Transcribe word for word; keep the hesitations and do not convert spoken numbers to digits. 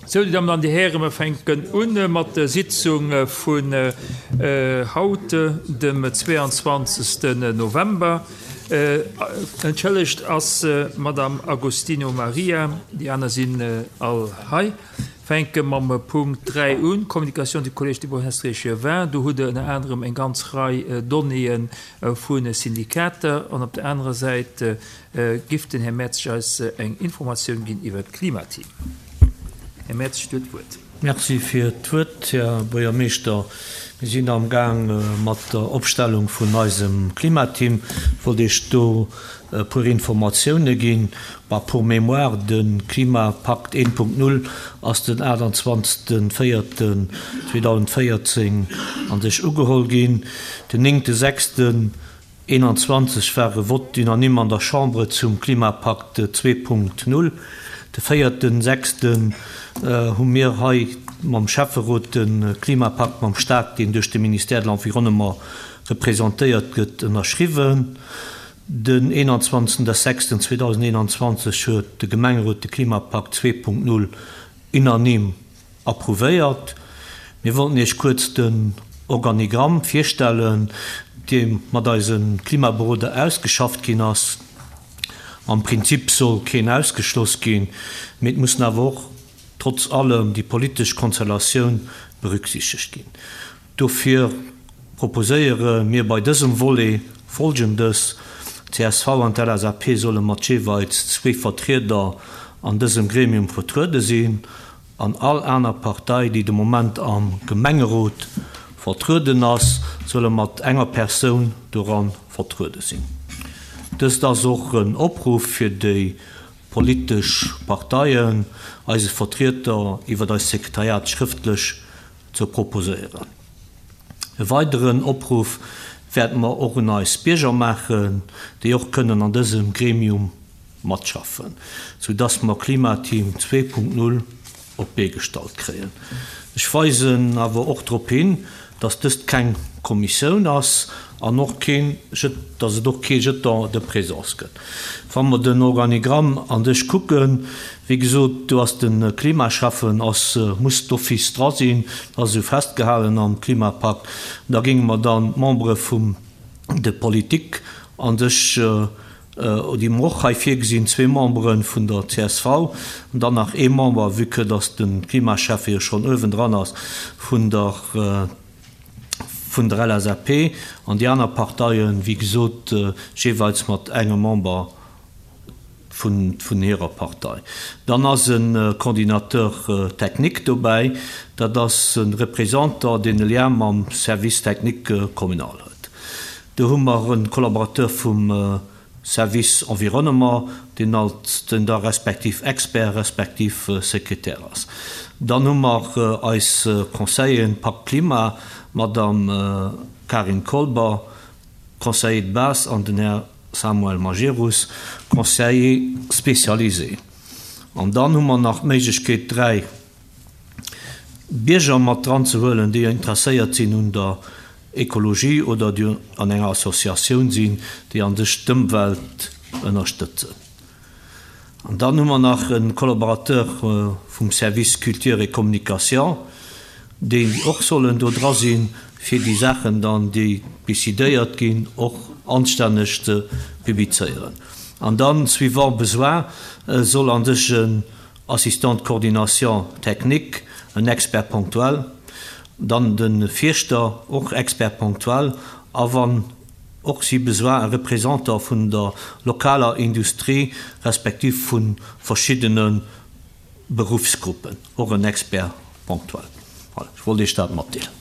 Sou, déi Dammen an déi Hären, mer fänken un mat der Sitzung vun haut, dem zweeanzwanzegsten November. Entschëllegt ass d'Madame Agostino Maria, déi aner sinn all hei. Fänke mam Punkt dräi un, Communication du Collège des bourgmestres échevins. Do hutt Der ënner anerem eng ganz Rei Donnéeë vu Syndikater an op der anerer Säit giff den Här Mertzig eis eng Informatioun ginn iwwert d'Klimateam. Här Mertzig, Dir hutt d'Wuert. Merci fir d'Wuert, Här Buergermeeschter. Mir sinn am Gaang mat der Opstellung vun eisem Klimateam. Ech wollt Iech do e puer Informatioune ginn. Bah, pour mémoire, de Klimapakt eent Punkt null ass den aachtanzwanzegste véierten zweedausendvéierzéng an sech ugeholl ginn. Den néngte sechsten eenanzwanzeg war e Vote unanime an der Chambre zum Klimapakt zwee Punkt null. De véierten sechsten hu mir hei mam Schäfferot de Klimapakt mam Staat, deen duerch de Ministère de l'Environnement representéiert gëtt, ënnerschriwwen. Den eenanzwanzegsten sechsten zweedausendeenanzwanzeg huet de Gemengerot de Klimapakt zwee Punkt null unanime approuvéiert. Mir wollten Iech kuerz den Organigramm virstellen, dee mat eise Klimaberoder ausgeschafft ginn ass. Am Prinzip soll keen ausgeschloss ginn, mee et mussen awer och trotz allem déi politesch Konstellatioun berücksichtegt ginn. Dofir proposéiere mir bei dësem Volet Folgendes, D'C S V an d'L S A P solle mat jeeweils zwee Vertrieder an dësem Gremium vertruede sinn an all aner Partei, déi de Moment am Gemengerot vertrueden ass, solle mat enger Persoun doran vertruede sinn. Dëst ass och en Opruff fir déi politesch Parteien, eise Vertrieder iwwer eist Sekretariat schrëftlech ze proposéieren. E weideren Opruff wäerte mer och un eis Bierger maachen, déi och kënnen an dësem Gremium matschaffen, sou dass mer Klimateam zwee Punkt null op d'Bee gestallt kréien. Ech weisen awer och drop hin, dass dëst keng Kommissioun ass an och keen, dass et och kee Jeton de présence gëtt. Wa mer den Organigramm an sech kucken, wéi gesot, do ass de Klimaschäffen ass, muss d'office dra sinn, dat ass esou festgehalen am Klimapakt. Da géinge mer dann d'Membere vum de Politik an sech, déi mer och hei virgesinn, zwee Membere vun der C S V an dann nach ee Member, vue que dass de Klimaschäffe jo schonn uewendran ass, vun der vun der L S A P, an déi aner Parteien, wéi gesot, jeeweils mat engem Member vun vun hirer Partei. Dann ass e Coordinateur technique dobäi, dat ass e Représentant, deen e Lien mam Service technique communal huet. Do hu mer e Collaborateur vum Service environnement, deen als den da respektiv Expert respektiv Sekretär ass. Dann hu mer eis Conseilleren Pakt Klima, d'Madame Karin Kolber, Conseiller de base, an den Här Samuel Majerus, Conseiller spécialisé. An dann hu mer nach d'Méiglechkeet, dräi Bierger mat dran ze huelen, déi interesséiert sinn un der Ekologie oder déi an enger Associatioun sinn, déi an sech d'Ëmwelt ënnerstëtzen. An dann hu mer nach e Collaborateur vum Service Culture et Communication, déi och sollen do dra sinn, fir déi Saachen dann, déi décidéiert ginn, och anstänneg ze publizéieren. An dann, suivant besoin, soll an sech en Assistant de coordination technique, en Expert ponctuel, dann de Fierschter, och Expert ponctuel, a wann och si besoin, e Représentant vun der lokaler Industrie respektiv vu verschiddene Beruffsgruppen, och en Expert ponctuel. Voilà, ech wollt Iech dat matdeelen.